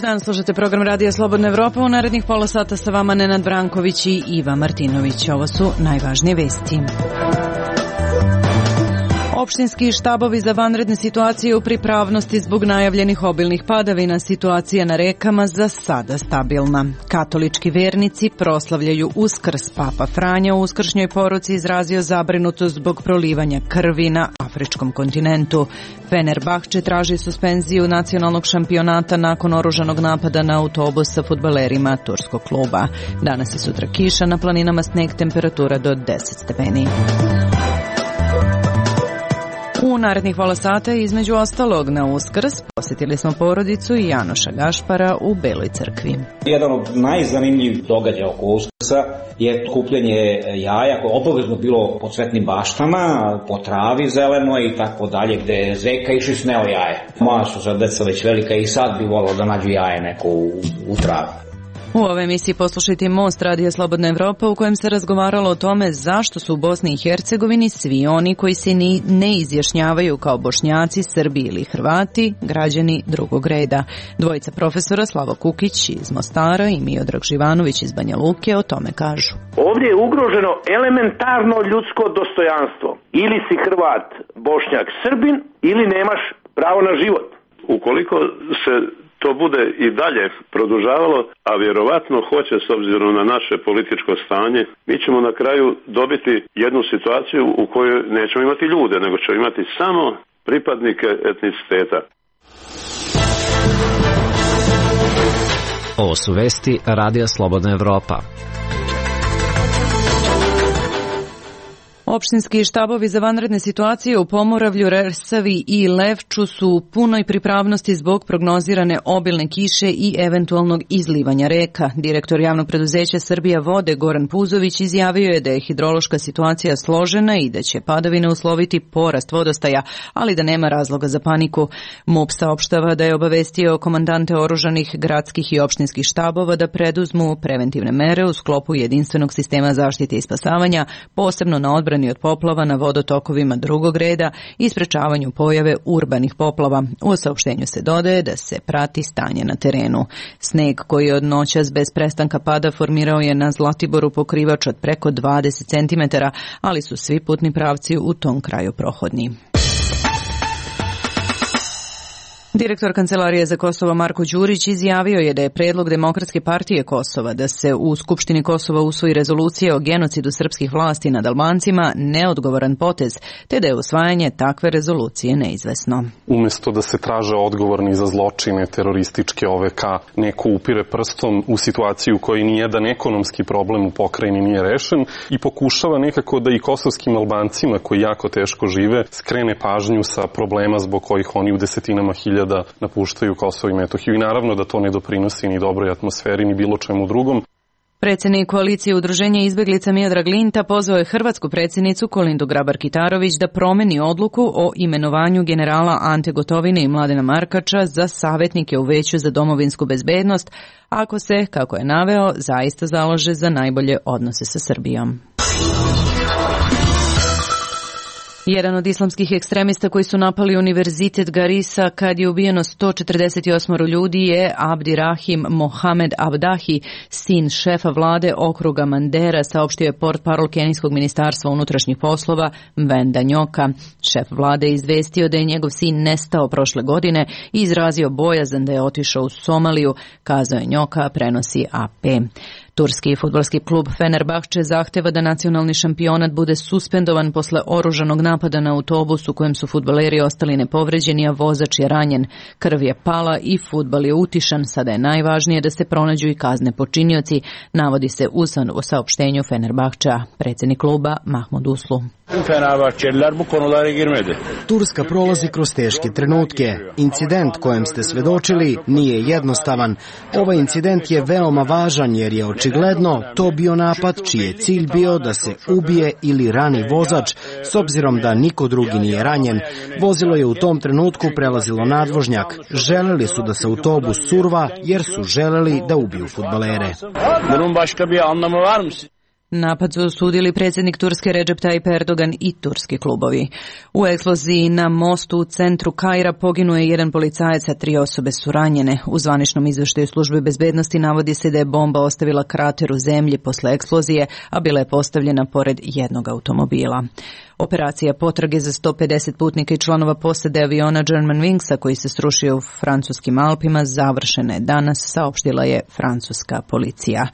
dan, slušate program Radija Slobodna Evropa. U narednih pola sata sa vama Nenad Branković i Iva Martinović. Ovo su najvažnije vesti. Opštinski štabovi za vanredne situacije u pripravnosti zbog najavljenih obilnih padavina. Situacija na rekama za sada stabilna. Katolički vernici proslavljaju Uskrs. Papa Franja u uskršnjoj poruci izrazio zabrinutost zbog prolivanja krvi na afričkom kontinentu. Fenerbahče traži suspenziju nacionalnog šampionata nakon oružanog napada na autobus sa fudbalerima turskog kluba. Danas i sutra kiša, na planinama sneg, temperatura do 10 stepeni. U narednih pola sata, između ostalog, na Uskrs posjetili smo porodicu Janoša Gašpara u Beloj crkvi. Jedan od najzanimljivih događaja oko Uskrsa je kupljenje jaja koje je obavezno bilo po cvetnim baštama, po travi zelenoj i tako dalje, gde je zeka išli sneo jaje. Moja su sad deca već velika i sad bi volao da nađu jaje neko u travi. U ovoj emisiji poslušajte Most Radija Slobodna Evropa, u kojem se razgovaralo o tome zašto su u Bosni i Hercegovini svi oni koji se ne izjašnjavaju kao Bošnjaci, Srbi ili Hrvati, građani drugog reda. Dvojica profesora, Slavo Kukić iz Mostara i Miodrag Živanović iz Banja Luke, o tome kažu. Ovdje je ugroženo elementarno ljudsko dostojanstvo. Ili si Hrvat, Bošnjak, Srbin, ili nemaš pravo na život. Ukoliko se to bude i dalje produžavalo, a vjerovatno hoće s obzirom na naše političko stanje, mi ćemo na kraju dobiti jednu situaciju u kojoj nećemo imati ljude, nego ćemo imati samo pripadnike etniciteta. Ovo su vesti Radija Slobodna Evropa. Opštinski štabovi za vanredne situacije u Pomoravlju, Resavi i Levču su u punoj pripravnosti zbog prognozirane obilne kiše i eventualnog izlivanja reka. Direktor javnog preduzeća Srbija vode Goran Puzović izjavio je da je hidrološka situacija složena i da će padavine usloviti porast vodostaja, ali da nema razloga za paniku. MUP saopštava da je obavestio komandante oružanih gradskih i opštinskih štabova da preduzmu preventivne mere u sklopu jedinstvenog sistema zaštite i spasavanja, posebno na odbrani od poplava na vodotokovima drugog reda i sprečavanju pojave urbanih poplava. U saopštenju se dodaje da se prati stanje na terenu. Sneg koji je od noćas bez prestanka pada formirao je na Zlatiboru pokrivač od preko 20 cm, ali su svi putni pravci u tom kraju prohodni. Direktor Kancelarije za Kosovo Marko Đurić izjavio je da je predlog Demokratske partije Kosova da se u Skupštini Kosova usvoji rezolucija o genocidu srpskih vlasti nad Albancima neodgovoran potez, te da je usvajanje takve rezolucije neizvesno. Umjesto da se traže odgovorni za zločine terorističke OVK, neko upire prstom u situaciju u kojoj nijedan ekonomski problem u pokrajini nije rešen i pokušava nekako da i kosovskim Albancima koji jako teško žive skrene pažnju sa problema zbog kojih oni u desetinama hiljada da napuštaju Kosovo i Metohiju i naravno da to ne doprinosi ni dobroj atmosferi ni bilo čemu drugom. Predsjednik koalicije Udruženja izbeglica Miodrag Linta pozvao je hrvatsku predsjednicu Kolindu Grabar-Kitarović da promeni odluku o imenovanju generala Ante Gotovine i Mladena Markača za savjetnike u Veću za domovinsku bezbednost, ako se, kako je naveo, zaista založe za najbolje odnose sa Srbijom. Jedan od islamskih ekstremista koji su napali univerzitet Garissa kad je ubijeno 148 ljudi je Abdirahim Mohamed Abdahi, sin šefa vlade okruga Mandera, saopštio je portparol Kenijskog ministarstva unutrašnjih poslova Venda Njoka. Šef vlade je izvestio da je njegov sin nestao prošle godine i izrazio bojazan da je otišao u Somaliju, kazao je Njoka, prenosi AP. Turski fudbalski klub Fenerbahče zahteva da nacionalni šampionat bude suspendovan posle oružanog napada na autobus u kojem su fudbaleri ostali nepovređeni, a vozač je ranjen. Krv je pala i fudbal je utišan. Sada je najvažnije da se pronađu i kazne počinioci, navodi se u saopštenju Fenerbahča. Predsjednik kluba Mahmud Uslu. Turska prolazi kroz teške trenutke. Incident kojem ste svedočili nije jednostavan. Ovaj incident je veoma važan jer je očigledno to bio napad čiji je cilj bio da se ubije ili rani vozač, s obzirom da niko drugi nije ranjen. Vozilo je u tom trenutku prelazilo nadvožnjak. Želeli su da se autobus surva jer su želeli da ubiju fudbalere. Napad su osudili predsjednik Turske Recep Tayyip Erdogan i turski klubovi. U eksploziji na mostu u centru Kaira poginuo je jedan policajac, a 3 osobe su ranjene. U zvaničnom izveštaju službe bezbednosti navodi se da je bomba ostavila krater u zemlji posle eksplozije, a bila je postavljena pored jednog automobila. Operacija potrage za 150 putnika i članova posade aviona Germanwingsa koji se srušio u francuskim Alpima završena je danas, saopštila je francuska policija.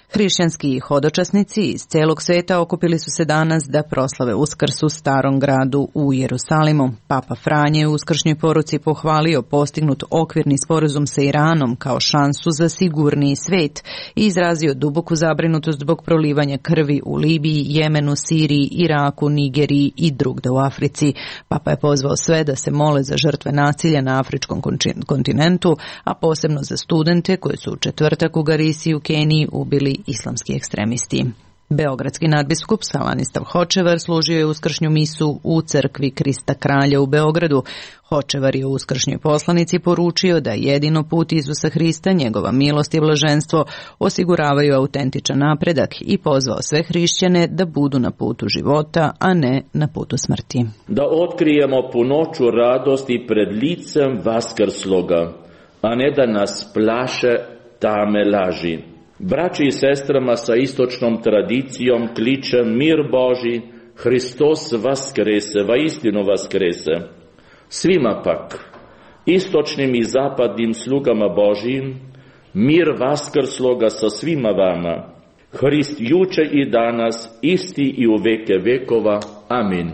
Hrišćanski hodočasnici iz celog sveta okupili su se danas da proslave Uskrs u Starom gradu u Jerusalimu. Papa Franje je u uskršnjoj poruci pohvalio postignut okvirni sporazum sa Iranom kao šansu za sigurniji svet i izrazio duboku zabrinutost zbog prolivanja krvi u Libiji, Jemenu, Siriji, Iraku, Nigeriji i drugde u Africi. Papa je pozvao sve da se mole za žrtve nasilja na afričkom kontinentu, a posebno za studente koji su u četvrtak u Garisi u Keniji ubili islamski ekstremisti. Beogradski nadbiskup Salanislav Hočevar služio je uskršnju misu u crkvi Krista Kralja u Beogradu. Hočevar je u uskršnjoj poslanici poručio da jedino put Isusa Hrista, njegova milost i blaženstvo osiguravaju autentičan napredak i pozvao sve hrišćane da budu na putu života, a ne na putu smrti. Da otkrijemo punoću radosti pred licem vaskrsloga, a ne da nas plaše tame laži. Braći i sestrama sa istočnom tradicijom kličem mir Boži, Hristos vaskrese, vaistinu vaskrese. Svima pak, istočnim i zapadnim slugama Božijim, mir vaskrsloga sa svima vama. Hrist juče i danas, isti i u veke vekova. Amin.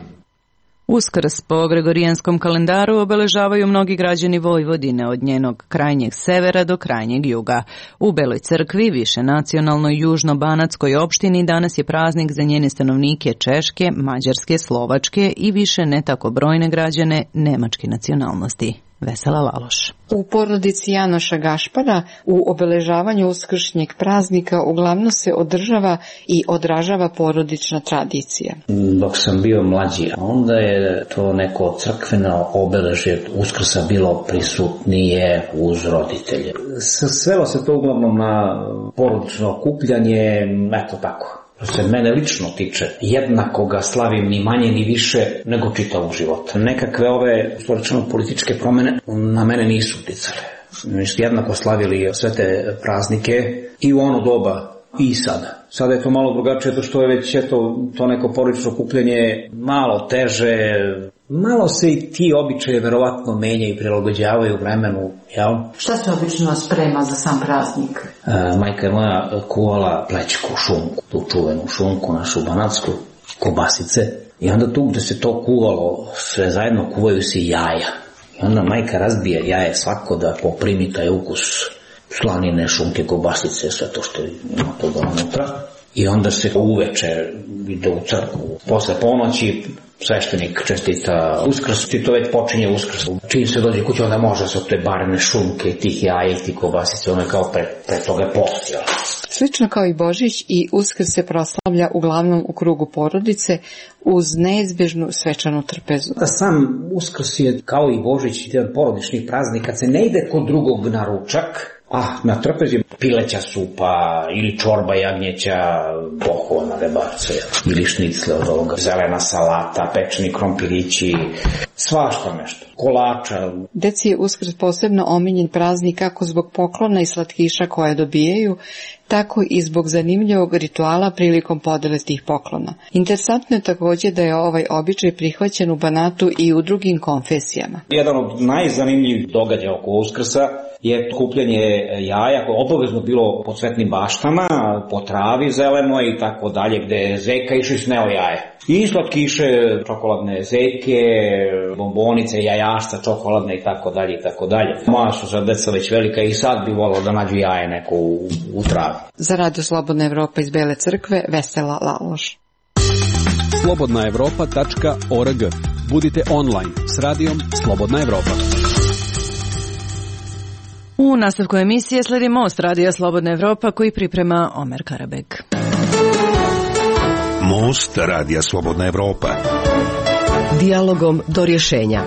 Uskrs po gregorijanskom kalendaru obeležavaju mnogi građani Vojvodine od njenog krajnjeg severa do krajnjeg juga. U Beloj crkvi, više nacionalnoj južno-banatskoj opštini, danas je praznik za njene stanovnike češke, mađarske, slovačke i više ne tako brojne građane nemačke nacionalnosti. Vesela Laloš. U porodici Janoša Gašpara u obeležavanju uskršnjeg praznika uglavnom se održava i odražava porodična tradicija. Dok sam bio mlađi, onda je to neko crkveno obeležje Uskrsa bilo prisutnije uz roditelje. Svelo se to uglavnom na porodično okupljanje, eto tako. Što se mene lično tiče, jednako ga slavim ni manje ni više nego čitavog života. Nekakve ove političke promene na mene nisu uticale. Mi smo jednako slavili sve te praznike i u ono doba i sada. Sada je to malo drugačije, to što je već to neko porodično okupljanje malo teže. Malo se i ti običaje verovatno menjaju i prilagođavaju vremenu, jel? Šta se obično sprema za sam praznik? Majka je moja kuvala plećku, šunku, tu čuvenu šunku, našu banatsku, kobasice. I onda tu gde se to kuvalo, sve zajedno kuvaju se jaja. I onda majka razbije jaje svako da poprimi taj ukus slanine, šunke, kobasice, sve to što ima toga unutra. I onda se uveče ide u crkvu. Posle ponoći sveštenik čestita Uskrs i to već počinje Uskrs. Čim se dođe kuće, onda može se od te barene šunke, tih jaja i tih kobasice, ono je kao pre toga post. Slično kao i Božić, i Uskrs se proslavlja uglavnom u krugu porodice uz neizbežnu svečanu trpezu. Sam Uskrs je kao i Božić jedan porodični praznik, kad se ne ide kod drugog na ručak, na trpezi pileća supa ili čorba jagnjeća, bohovana rebarca ili šnicle od ovoga, zelena salata, pečeni krompirići, svašta nešto, kolača. Deci je Uskrs posebno omiljen praznik kako zbog poklona i slatkiša koje dobijaju, tako i zbog zanimljivog rituala prilikom podele tih poklona. Interesantno je također da je ovaj običaj prihvaćen u Banatu i u drugim konfesijama. Jedan od najzanimljivih događaja oko Uskrsa je kupljanje jaja, koje je obavezno bilo po cvetnim baštama, po travi zelenoj i tako dalje, gde je zeka išao i sneo jaje. I slatkiše, čokoladne zeke, bombonice, jajašca, čokoladne i tako dalje i tako dalje. Moja su sad deca već velika i sad bi volao da nađu jaje neko u travi. Za Radio Slobodna Evropa iz Bele crkve, Vesela Laloš. slobodnaevropa.org. Budite online s radijom Slobodna Evropa. U nastavku emisije sledi Most Radija Slobodna Evropa koji priprema Omer Karabeg. Most Radija Slobodna Evropa. Dijalogom do rješenja.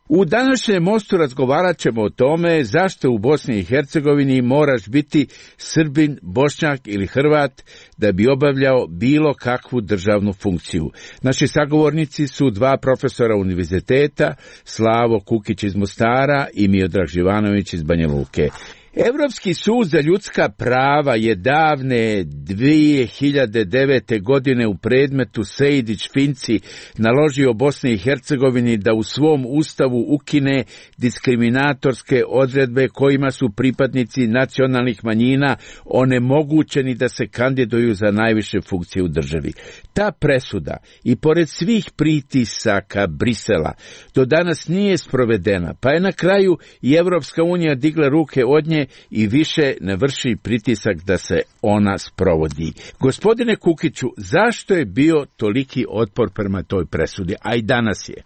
U današnjem mostu razgovarat ćemo o tome zašto u Bosni i Hercegovini moraš biti Srbin, Bošnjak ili Hrvat da bi obavljao bilo kakvu državnu funkciju. Naši sagovornici su dva profesora univerziteta, Slavo Kukić iz Mostara i Miodrag Živanović iz Banja Luke. Evropski sud za ljudska prava je davne 2009. godine u predmetu Sejdić-Finci naložio Bosni i Hercegovini da u svom ustavu ukine diskriminatorske odredbe kojima su pripadnici nacionalnih manjina onemogućeni da se kandiduju za najviše funkcije u državi. Ta presuda, i pored svih pritisaka Brisela, do danas nije sprovedena, pa je na kraju i Evropska unija digla ruke od nje i više ne vrši pritisak da se ona sprovodi. Gospodine Kukiću, zašto je bio toliki otpor prema toj presudi, a i danas je?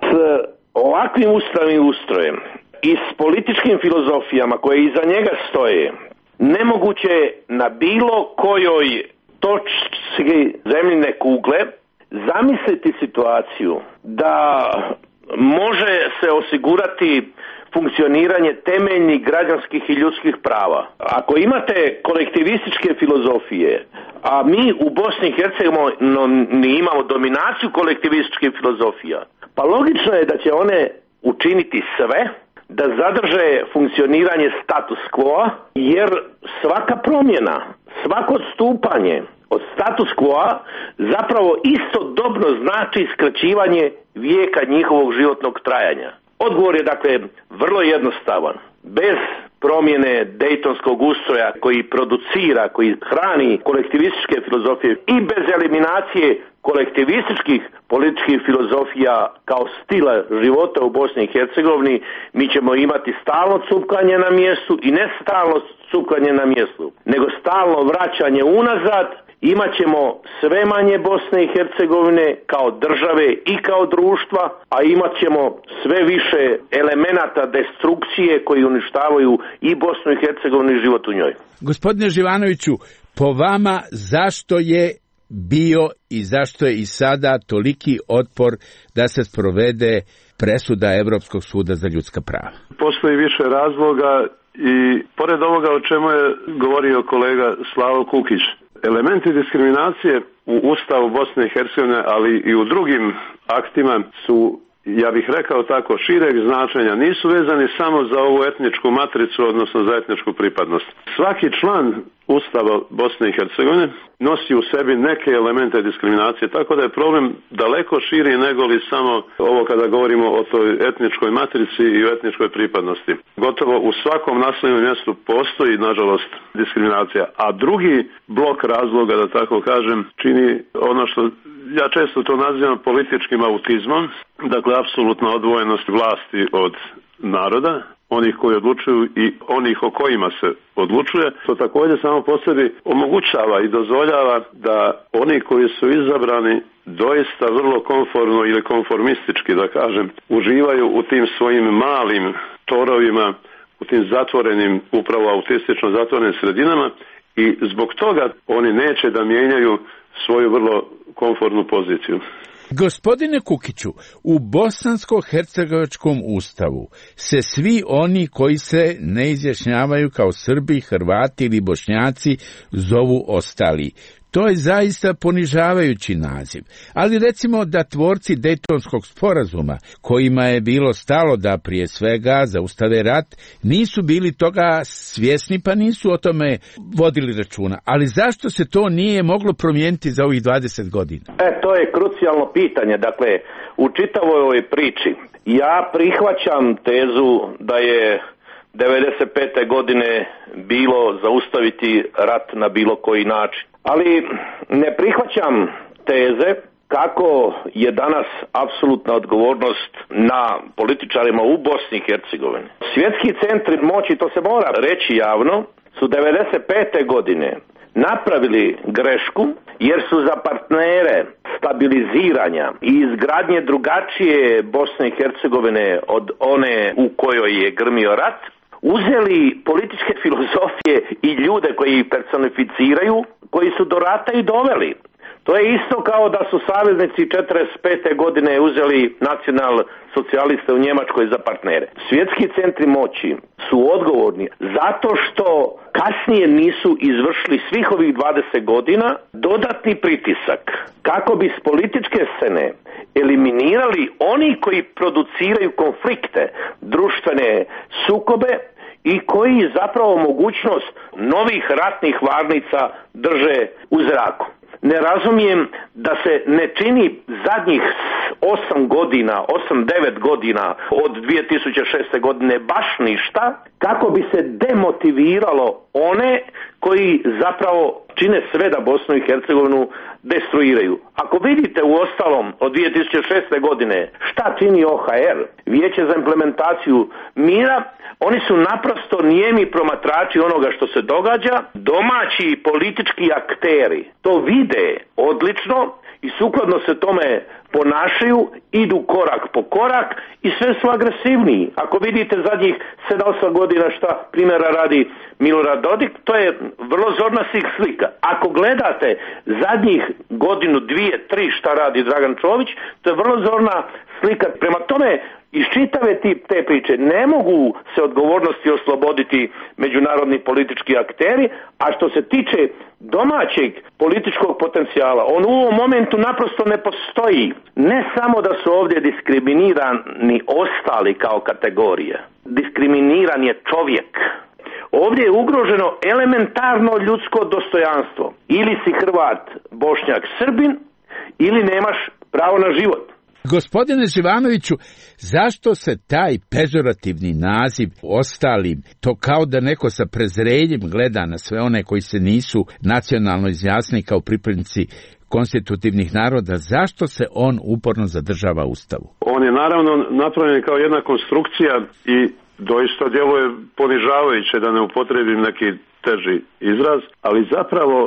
S ovakvim ustavnim ustrojem i s političkim filozofijama koje iza njega stoje, nemoguće je na bilo kojoj točki zemljine kugle zamisliti situaciju da može se osigurati funkcioniranje temeljnih građanskih i ljudskih prava. Ako imate kolektivističke filozofije, a mi u Bosni i Hercegovini imamo dominaciju kolektivističkih filozofija, pa logično je da će one učiniti sve da zadrže funkcioniranje status quo, jer svaka promjena, svako odstupanje od status quo zapravo istodobno znači skraćivanje vijeka njihovog životnog trajanja. Odgovor je dakle vrlo jednostavan. Bez promjene dejtonskog ustroja koji producira, koji hrani kolektivističke filozofije i bez eliminacije kolektivističkih političkih filozofija kao stila života u Bosni i Hercegovini, mi ćemo imati stalno cupkanje na mjestu i ne stalno cupkanje na mjestu, nego stalno vraćanje unazad. Imat ćemo sve manje Bosne i Hercegovine kao države i kao društva, a imat ćemo sve više elemenata destrukcije koji uništavaju i Bosnu i Hercegovinu i život u njoj. Gospodine Živanoviću, po vama zašto je bio i zašto je i sada toliki otpor da se sprovede presuda Evropskog suda za ljudska prava? Postoji više razloga i pored ovoga o čemu je govorio kolega Slavo Kukić, elementi diskriminacije u Ustavu Bosne i Hercegovine, ali i u drugim aktima su, ja bih rekao tako, šireg značenja. Nisu vezani samo za ovu etničku matricu, odnosno za etničku pripadnost. Svaki član Ustava Bosne i Hercegovine nosi u sebi neke elemente diskriminacije, tako da je problem daleko širi nego li samo ovo kada govorimo o toj etničkoj matrici i o etničkoj pripadnosti. Gotovo u svakom naseljenom mjestu postoji, nažalost, diskriminacija. A drugi blok razloga, da tako kažem, čini ono što ja često to nazivam političkim autizmom, dakle apsolutna odvojenost vlasti od naroda, onih koji odlučuju i onih o kojima se odlučuje. To također samo po sebi omogućava i dozvoljava da oni koji su izabrani doista vrlo konformno ili konformistički, da kažem, uživaju u tim svojim malim torovima, u tim zatvorenim, upravo autistično zatvorenim sredinama i zbog toga oni neće da mijenjaju svoju vrlo komfortnu poziciju. Gospodine Kukiću, u bosansko-hercegovačkom ustavu se svi oni koji se ne izjašnjavaju kao Srbi, Hrvati ili Bošnjaci zovu ostali. To je zaista ponižavajući naziv, ali recimo da tvorci Dejtonskog sporazuma, kojima je bilo stalo da prije svega zaustave rat, nisu bili toga svjesni pa nisu o tome vodili računa. Ali zašto se to nije moglo promijeniti za ovih 20 godina? To je krucijalno pitanje. Dakle, u čitavoj ovoj priči ja prihvaćam tezu da je 95. godine bilo zaustaviti rat na bilo koji način. Ali ne prihvaćam teze kako je danas apsolutna odgovornost na političarima u Bosni i Hercegovini. Svjetski centri moći, to se mora reći javno, su 95. godine napravili grešku jer su za partnere stabiliziranja i izgradnje drugačije Bosne i Hercegovine od one u kojoj je grmio rat uzeli političke filozofije i ljude koji ih personificiraju, koji su do rata i doveli. To je isto kao da su saveznici 45. godine uzeli nacional socijaliste u Njemačkoj za partnere. Svjetski centri moći su odgovorni zato što kasnije nisu izvršili svih ovih 20 godina dodatni pritisak kako bi s političke scene eliminirali oni koji produciraju konflikte, društvene sukobe i koji zapravo mogućnost novih ratnih varnica drže u zraku. Ne razumijem da se ne čini zadnjih 8 9 godina od 2006. godine baš ništa kako bi se demotiviralo one koji zapravo čine sve da Bosnu i Hercegovinu destruiraju. Ako vidite u ostalom od 2006. godine šta čini OHR, Vijeće za implementaciju mira, oni su naprosto nijemi promatrači onoga što se događa, domaći politički akteri to vide odlično i sukladno se tome ponašaju, idu korak po korak i sve su agresivniji. Ako vidite zadnjih 7-8 godina šta primjera radi Milorad Dodik, to je vrlo zorna slika. Ako gledate zadnjih godinu, 2, 3 šta radi Dragan Čović, to je vrlo zorna slika. Prema tome, iz čitave te priče ne mogu se odgovornosti osloboditi međunarodni politički akteri, a što se tiče domaćeg političkog potencijala, on u ovom momentu naprosto ne postoji. Ne samo da su ovdje diskriminirani ostali kao kategorija, diskriminiran je čovjek. Ovdje je ugroženo elementarno ljudsko dostojanstvo. Ili si Hrvat, Bošnjak, Srbin, ili nemaš pravo na život. Gospodine Živanoviću, zašto se taj pežorativni naziv ostalim, to kao da neko sa prezrenjem gleda na sve one koji se nisu nacionalno izjasnili kao pripadnici konstitutivnih naroda, zašto se on uporno zadržava u Ustavu? On je naravno napravljen kao jedna konstrukcija i doista djeluje ponižavajuće, da ne upotrijebim neki teži izraz, ali zapravo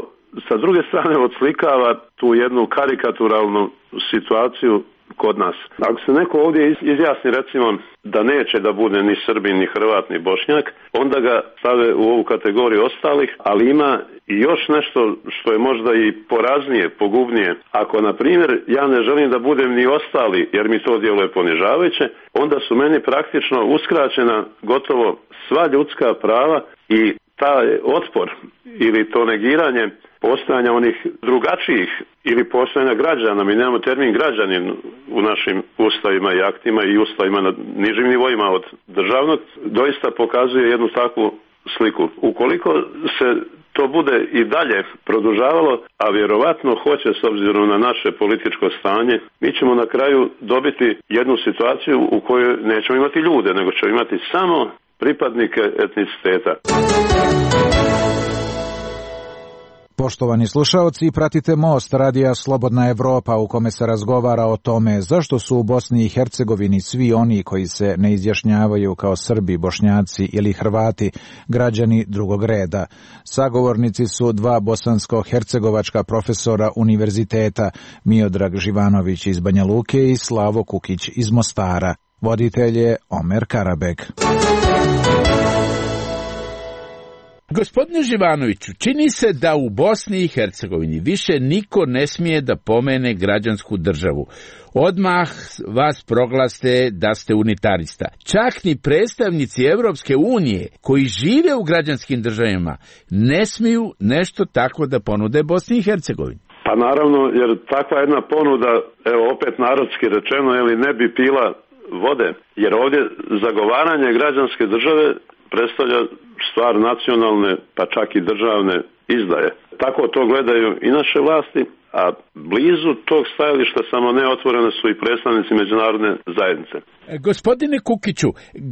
sa druge strane odslikava tu jednu karikaturalnu situaciju kod nas. Ako se neko ovdje izjasni recimo da neće da bude ni Srbin, ni Hrvat, ni Bošnjak, onda ga stave u ovu kategoriju ostalih, ali ima i još nešto što je možda i poraznije, pogubnije. Ako, na primjer, ja ne želim da budem ni ostali, jer mi to djeluje ponižavajuće, onda su meni praktično uskraćena gotovo sva ljudska prava i taj otpor ili to negiranje postojanja onih drugačijih ili postojanja građana. Mi nemamo termin građanin u našim ustavima i aktima i ustavima na nižim nivoima od državnog, doista pokazuje jednu takvu sliku. Ukoliko se to bude i dalje produžavalo, a vjerovatno hoće s obzirom na naše političko stanje, mi ćemo na kraju dobiti jednu situaciju u kojoj nećemo imati ljude, nego ćemo imati samo pripadnike etniciteta. Poštovani slušaoci, pratite Most radija Slobodna Evropa u kome se razgovara o tome zašto su u Bosni i Hercegovini svi oni koji se ne izjašnjavaju kao Srbi, Bošnjaci ili Hrvati građani drugog reda. Sagovornici su dva bosansko-hercegovačka profesora univerziteta, Miodrag Živanović iz Banja Luke i Slavo Kukić iz Mostara. Voditelj je Omer Karabek. Gospodine Živanoviću, čini se da u Bosni i Hercegovini više niko ne smije da pomene građansku državu. Odmah vas proglaste da ste unitarista. Čak ni predstavnici Evropske unije koji žive u građanskim državama ne smiju nešto tako da ponude Bosni i Hercegovini. Pa naravno, jer takva jedna ponuda, evo opet narodski rečeno, ne bi pila vode, jer ovdje zagovaranje građanske države predstavlja stvar nacionalne, pa čak i državne izdaje. Tako to gledaju i naše vlasti, a blizu tog stajališta samo neotvorene su i predstavnici međunarodne zajednice. Gospodine Kukiću,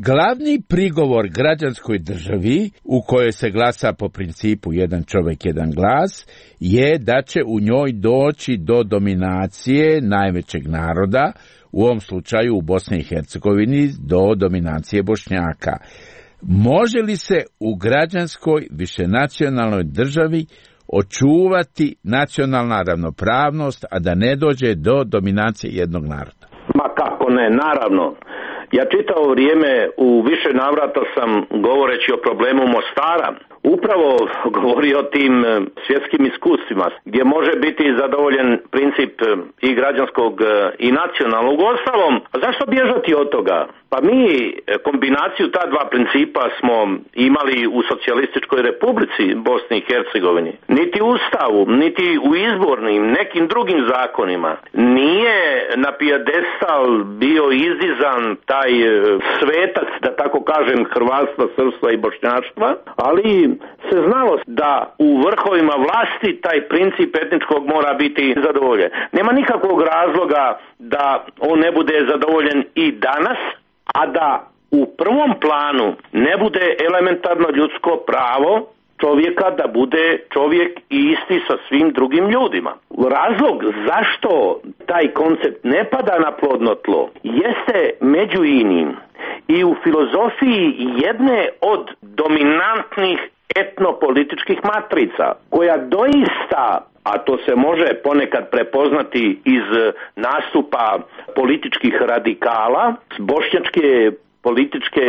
glavni prigovor građanskoj državi, u kojoj se glasa po principu jedan čovjek, jedan glas, je da će u njoj doći do dominacije najvećeg naroda, u ovom slučaju u Bosni i Hercegovini do dominacije Bošnjaka. Može li se u građanskoj višenacionalnoj državi očuvati nacionalna ravnopravnost, a da ne dođe do dominacije jednog naroda? Ma kako ne, naravno. Ja čitavo vrijeme u više navrata sam, govoreći o problemu Mostara, upravo govori o tim svjetskim iskustvima, gdje može biti zadovoljen princip i građanskog i nacionalnog. Uostalom, zašto bježati od toga? Pa mi kombinaciju ta dva principa smo imali u Socijalističkoj Republici Bosni i Hercegovini. Niti u Ustavu, niti u izbornim, nekim drugim zakonima nije na pijedestal bio izdizan taj svetac, da tako kažem, hrvatstva, srpstva i bošnjaštva, ali se znalo da u vrhovima vlasti taj princip etničkog mora biti zadovoljen. Nema nikakvog razloga da on ne bude zadovoljen i danas, a da u prvom planu ne bude elementarno ljudsko pravo čovjeka da bude čovjek i isti sa svim drugim ljudima. Razlog zašto taj koncept ne pada na plodno tlo jeste među inim i u filozofiji jedne od dominantnih etnopolitičkih matrica, koja doista, a to se može ponekad prepoznati iz nastupa političkih radikala s bošnjačke političke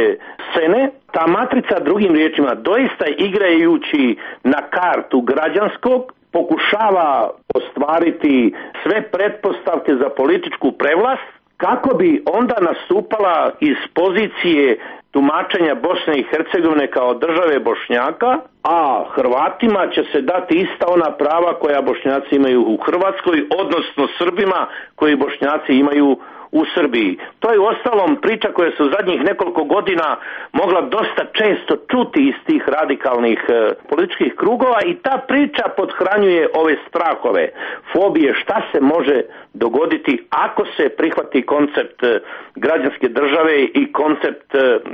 scene, ta matrica, drugim riječima, doista igrajući na kartu građanskog pokušava ostvariti sve pretpostavke za političku prevlast, kako bi onda nastupala iz pozicije tumačenja Bosne i Hercegovine kao države Bošnjaka, a Hrvatima će se dati ista ona prava koja Bošnjaci imaju u Hrvatskoj, odnosno Srbima koji Bošnjaci imaju u Srbiji. To je uostalom priča koja se u zadnjih nekoliko godina mogla dosta često čuti iz tih radikalnih političkih krugova i ta priča podhranjuje ove strahove, fobije, šta se može dogoditi ako se prihvati koncept građanske države i koncept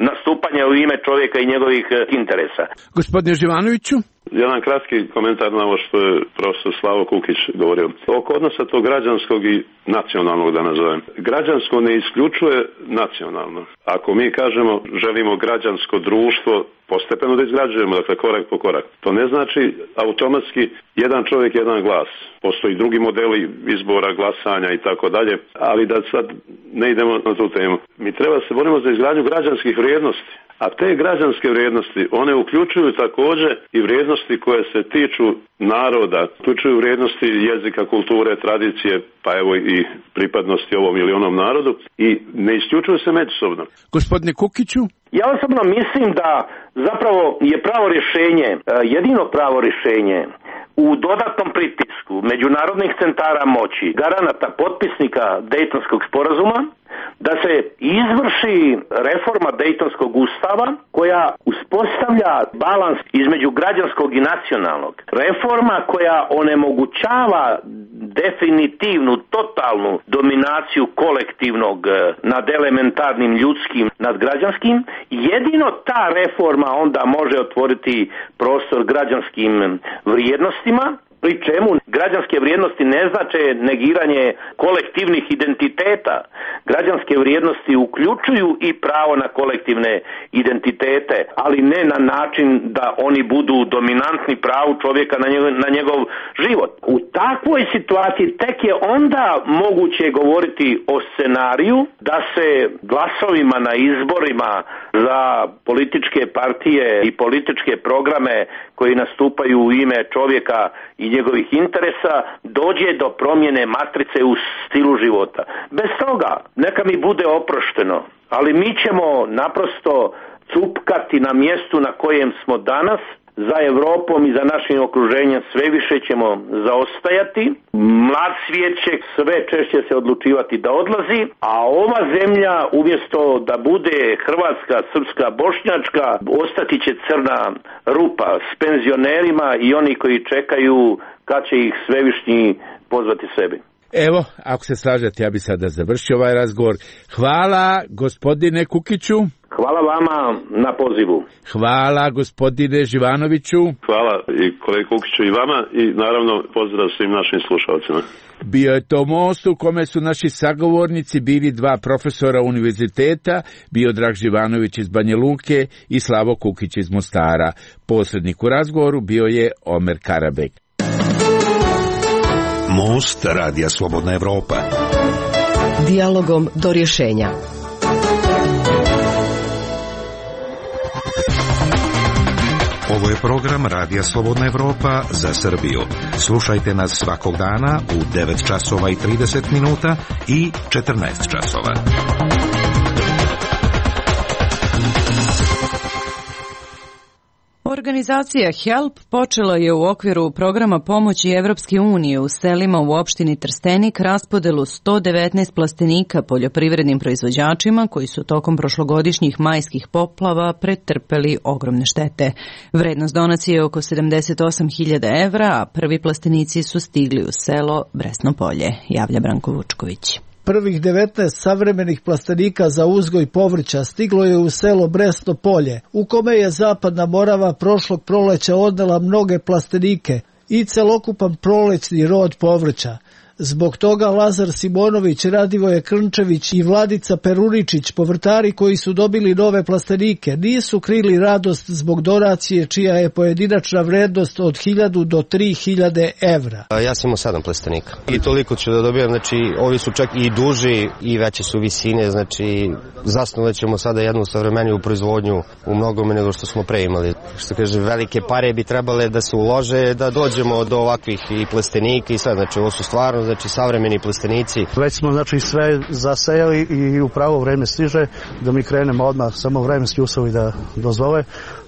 nastupanja u ime čovjeka i njegovih interesa. Gospodine Živanoviću? Jedan kratki komentar na ovo što je profesor Slavo Kukić govorio. Oko odnosa tog građanskog i nacionalnog, da nazovem. Građansko ne isključuje nacionalno. Ako mi kažemo želimo građansko društvo, postepeno da izgrađujemo, dakle korak po korak. To ne znači automatski jedan čovjek, jedan glas. Postoji drugi modeli izbora, glasanja i tako dalje, ali da sad ne idemo na tu temu. Mi treba se borimo za izgradnju građanskih vrijednosti. A te građanske vrijednosti, one uključuju također i vrijednosti koje se tiču naroda, uključuju vrijednosti jezika, kulture, tradicije, pa evo i pripadnosti ovom ili onom narodu i ne isključuju se međusobno. Gospodine Kukiću? Ja osobno mislim da zapravo je pravo rješenje, jedino pravo rješenje u dodatnom pritisku međunarodnih centara moći, garanata, potpisnika Dejtonskog sporazuma, da se izvrši reforma Dejtonskog ustava koja uspostavlja balans između građanskog i nacionalnog. Reforma koja onemogućava definitivnu, totalnu dominaciju kolektivnog nad elementarnim ljudskim, nad građanskim. Jedino ta reforma onda može otvoriti prostor građanskim vrijednostima, pri čemu građanske vrijednosti ne znače negiranje kolektivnih identiteta. Građanske vrijednosti uključuju i pravo na kolektivne identitete, ali ne na način da oni budu dominantni pravu čovjeka na njegov život. U takvoj situaciji tek je onda moguće govoriti o scenariju da se glasovima na izborima za političke partije i političke programe koji nastupaju u ime čovjeka i njegovih interesa dođe do promjene matrice u stilu života. Bez toga neka mi bude oprošteno, ali mi ćemo naprosto cupkati na mjestu na kojem smo danas. Za Europom i za našim okruženjem sve više ćemo zaostajati. Mlad svijet će sve češće se odlučivati da odlazi, a ova zemlja umjesto da bude hrvatska, srpska, bošnjačka, ostati će crna rupa s penzionerima i oni koji čekaju kad će ih svevišnji pozvati sebi. Evo, ako se slažete, ja bi sada završio ovaj razgovor. Hvala gospodine Kukiću. Hvala vama na pozivu. Hvala gospodine Živanoviću. Hvala i kolegi Kukiću i vama i naravno pozdrav svim našim slušalcima. Bio je to most u kome su naši sagovornici bili dva profesora univerziteta, Miodrag Živanović iz Banja Luke i Slavo Kukić iz Mostara. Posrednik u razgovoru bio je Omer Karabek. Most Radija Slobodna Evropa. Dijalogom do rješenja. Ovo je program Radija Slobodna Evropa za Srbiju. Slušajte nas svakog dana u 9 časova i 30 minuta i 14 časova. Organizacija HELP počela je u okviru programa pomoći Evropske unije u selima u opštini Trstenik raspodelu 119 plastenika poljoprivrednim proizvođačima koji su tokom prošlogodišnjih majskih poplava pretrpeli ogromne štete. Vrednost donacije je oko 78.000 evra, a prvi plastenici su stigli u selo Bresno Polje, javlja Branko Vučković. Prvih 19 savremenih plastenika za uzgoj povrća stiglo je u selo Bresno Polje, u kome je Zapadna Morava prošlog proleća odnela mnoge plastenike i celokupan prolećni rod povrća. Zbog toga Lazar Simonović, Radivoje Krnčević i Vladica Peruničić, povrtari koji su dobili nove plastenike, nisu krili radost zbog donacije čija je pojedinačna vrednost od 1.000 do 3.000 evra. Ja sam imao 7 plastenika i toliko ću da dobijam, znači ovi su čak i duži i veće su visine, znači zasnovat ćemo sada jednu savremeniju proizvodnju u mnogome nego što smo pre imali. Što kaže, velike pare bi trebale da se ulože da dođemo do ovakvih i plastenika i sve, znači ovo su stvarno znači savremeni plastenici. Već smo znači sve zasejali i u pravo vreme stiže da mi krenemo odmah, samo vremenski uslovi da dozvole,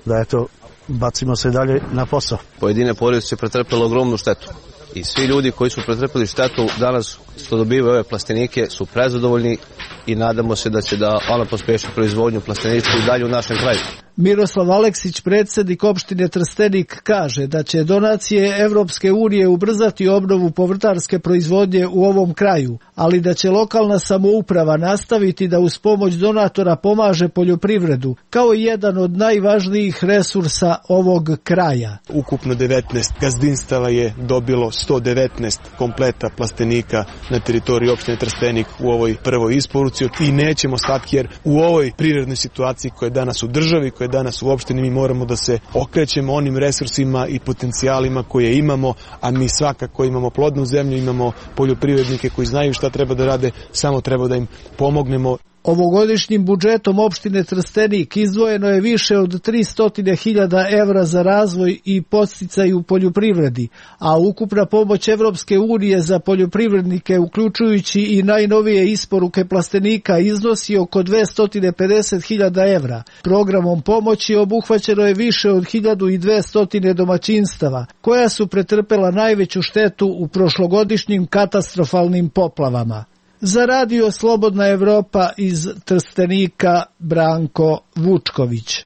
da eto bacimo se dalje na posao. Pojedine porodice su pretrpele ogromnu štetu i svi ljudi koji su pretrpeli štetu danas što dobivaju ove plastenike su prezadovoljni i nadamo se da će da ona pospeši proizvodnju plastenika i dalje u našem kraju. Miroslav Aleksić, predsjednik opštine Trstenik, kaže da će donacije Evropske unije ubrzati obnovu povrtarske proizvodnje u ovom kraju, ali da će lokalna samouprava nastaviti da uz pomoć donatora pomaže poljoprivredu, kao jedan od najvažnijih resursa ovog kraja. Ukupno 19 gazdinstava je dobilo 119 kompleta plastenika na teritoriji opštine Trstenik u ovoj prvoj isporuci i nećemo stati jer u ovoj privrednoj situaciji koja je danas u državi, koja je danas u opštini, mi moramo da se okrećemo onim resursima i potencijalima koje imamo, a mi svakako imamo plodnu zemlju, imamo poljoprivrednike koji znaju šta treba da rade, samo treba da im pomognemo. Ovogodišnjim budžetom opštine Trstenik izdvojeno je više od 300.000 evra za razvoj i podsticaj u poljoprivredi, a ukupna pomoć Evropske unije za poljoprivrednike, uključujući i najnovije isporuke plastenika, iznosi oko 250.000 evra. Programom pomoći obuhvaćeno je više od 1.200 domaćinstava, koja su pretrpela najveću štetu u prošlogodišnjim katastrofalnim poplavama. Za Radio Slobodna Evropa iz Trstenika, Branko Vučković.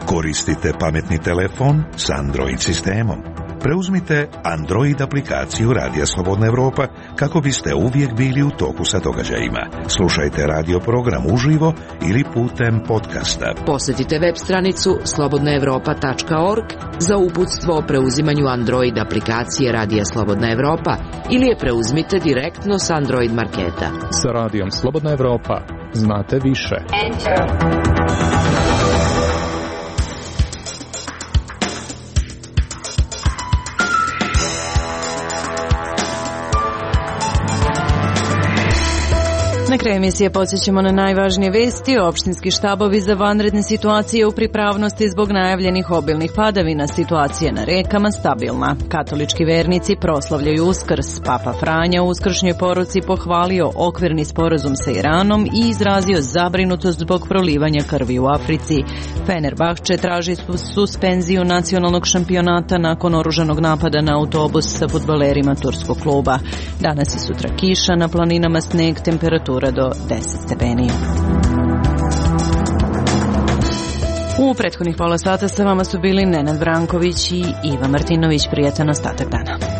Koristite pametni telefon s Android sistemom. Preuzmite Android aplikaciju Radija Slobodna Evropa kako biste uvijek bili u toku sa događajima. Slušajte radio program uživo ili putem podcasta. Posjetite web stranicu slobodnaevropa.org za uputstvo o preuzimanju Android aplikacije Radija Slobodna Evropa ili je preuzmite direktno s Android marketa. Sa Radijom Slobodna Evropa znate više. Na kraju emisije podsjećamo na najvažnije vesti. Opštinski štabovi za vanredne situacije u pripravnosti zbog najavljenih obilnih padavina. Situacija na rekama stabilna. Katolički vernici proslavljaju Uskrs. Papa Franja u uskršnjoj poruci pohvalio okvirni sporazum sa Iranom i izrazio zabrinutost zbog prolivanja krvi u Africi. Fenerbahče traži suspenziju nacionalnog šampionata nakon oružanog napada na autobus sa fudbalerima turskog kluba. Danas i sutra kiša, na planinama sneg, temperatura do 10 stepeni. U prethodnih pola sata sa vama su bili Nenad Branković i Iva Martinović. Prijatan ostatak dana.